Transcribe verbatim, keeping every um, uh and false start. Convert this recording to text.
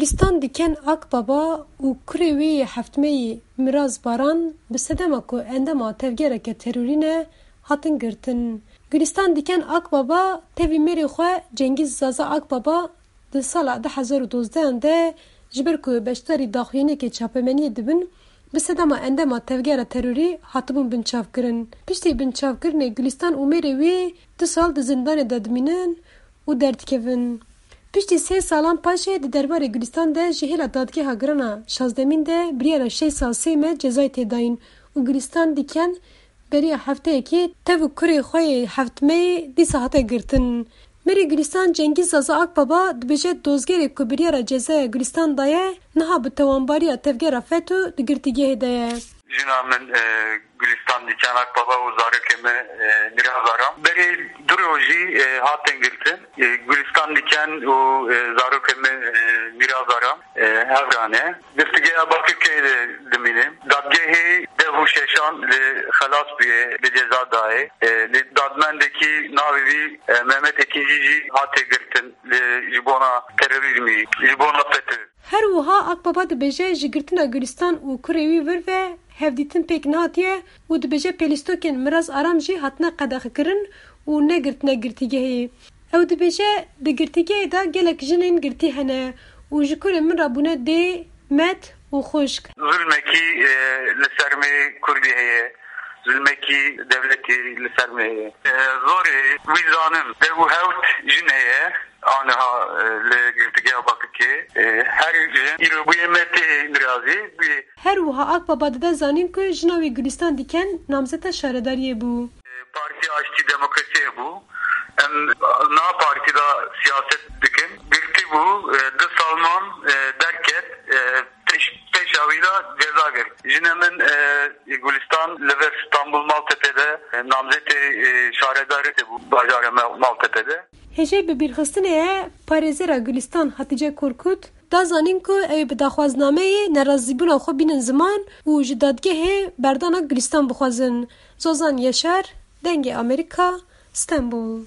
Gülistan Diken Akbaba û kurê wê yê heftmeyî Miraz Baran bi sedema ku endama tevgereke terorî ne, hatin girtin. Gülistan Diken Akbaba tevî mêrê xwe Cengîz Zaza Akbaba di sala du hezar û dozdeh de ji ber ku beşdarî daxuyaniyekê çapemeniyê dibin, bi sedema endama tevgera terorî hatibûn binçavkirin. Piştî binçavkirinê Gülistan û mêrê wî du sal di zindanê de dimînin û derdikevin. Piştî sê salan paşê di derbarê Gülistan de ji hêla dadgeha girana şazdemîn de biryara şeş sal sê meh cezayê tê dayîn û Gülistan Diken beriya hefteyekê tev û kurê xwe yê heftmeyê dîsa hate girtin. Mêrê Gülistan Cengîz Zaza Akbaba dibêje dozgerê ku biryara cezaya Gülistan daye niha bi tewanbariya tevgera FETÖ di girtîgehê de ye. Jina min, e, Gülistan Diken Akbaba û zarokê min, e, Miraz Aram. Berê du rojî, e, hatin girtin. E, Gülistan Diken û, e, zarokê min, e, Miraz Aram, e, hev re ne. Girtîgeha Bakirkeyê de dimînin. Dadgehê dev û şeşan li xelas bûye, li ceza dayê. E, li dadmendekî navê wî, e, Mehmet Ekinci jî hate girtin li, ji bona terorîzmî, ji bona FETÖ. Her wiha Akbaba dibêje ji girtina Gülistan û kurê wî vir ve hevdîtin pêk nehatiye û dibêje pêlîstokên Miraz Aram jî hatine qedexekirin û negirtine girtîgehê. Ew dibêje di girtîgehê de gelek jinên girtî hene û ji kurê min re bûne dê, met û xwişk. Zulmekî, e, li ser me Kurdî heye. Zulmekî dewletî li ser me heye. E, zorê wî zanim. Dev û hewt jin heye. Aniha, e, li girtîgeha Bakirkê, e, her jin îro bûye me tê mirazî, bûye. Her wiha Akbaba dide zanîn ku jina wî Gülistan Diken namzeta şaredariyê bû. E, Partî Aştî Demokrasiyê bû. Em na partî de siyaset dikin. Girtî bû, e, du sal man, e, derket, e, pêş, pêşa wî de ceza girt. Jina min, e, Gülistan li vir Stanbul Maltepe de, e, namzetê, e, şaredarê bû, bajarê Me-, Maltepe de. Hêjayî bibîrxistinê ye, parêzera Gülistan Hatîce Korkut da zanîn ku ew ê bi daxwaznameyê nerazîbûna xwe bînin ziman û ji dadgehê berdana Gülistan bixwazin. Zozan Yaşar, Dengê Amerîka, Stenbul.